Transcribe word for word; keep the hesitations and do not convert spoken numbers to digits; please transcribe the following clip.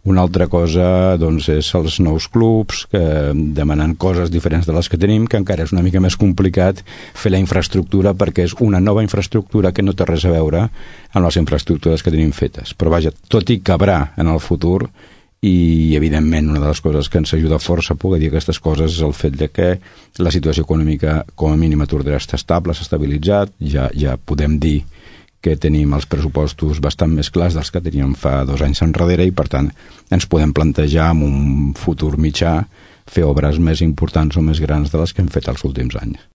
Una altra cosa doncs, és els nous clubs que demanen coses diferents de les que tenim, que encara és una mica més complicat fer la infraestructura perquè és una nova infraestructura que no té res a veure amb les infraestructures que tenim fetes. Però vaja, tot i cabrà en el futur, i evidentment una de les coses que ens ajuda força a poder dir aquestes coses és el fet de que la situació econòmica com a mínim a Tordera està estable, s'ha estabilitzat, ja, ja podem dir que tenim els pressupostos bastant més clars dels que teníem fa dos anys enrere i per tant ens podem plantejar en un futur mitjà fer obres més importants o més grans de les que hem fet els últims anys.